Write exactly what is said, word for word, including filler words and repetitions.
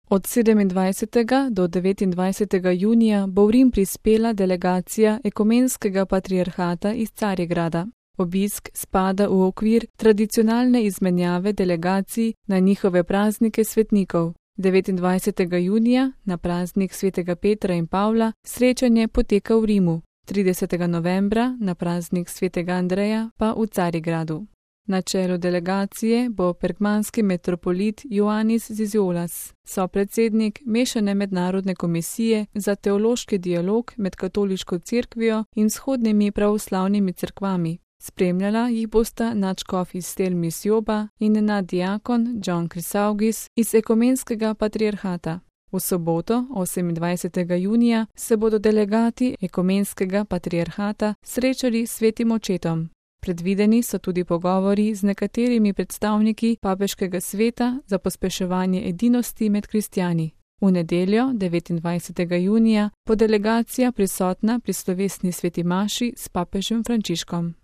Od sedemindvajsetega do devetindvajsetega junija bo v Rim prispela delegacija Ekumenskega patriarhata iz Carigrada. Obisk spada v okvir tradicionalne izmenjave delegacij na njihove praznike svetnikov. devetindvajsetega junija, na praznik svetega Petra in Pavla, srečanje poteka v Rimu, tridesetega novembra, na praznik svetega Andreja, pa v Carigradu. Na čelu delegacije bo pergmanski metropolit Ioannis Ziziolas, sopredsednik Mešane mednarodne komisije za teološki dialog med katoliško cerkvijo in vzhodnimi pravoslavnimi cerkvami. Spremljala jih bosta nadškof iz Stel Misjoba in naddiakon John Chrysaugis iz Ekumenskega patriarhata. V soboto, osemindvajsetega junija, se bodo delegati Ekumenskega patriarhata srečali s svetim očetom. Predvideni so tudi pogovori z nekaterimi predstavniki papeškega sveta za pospeševanje edinosti med kristjani. V nedeljo, devetindvajsetega junija, bo delegacija prisotna pri slovesni sveti maši s papežem Frančiškom.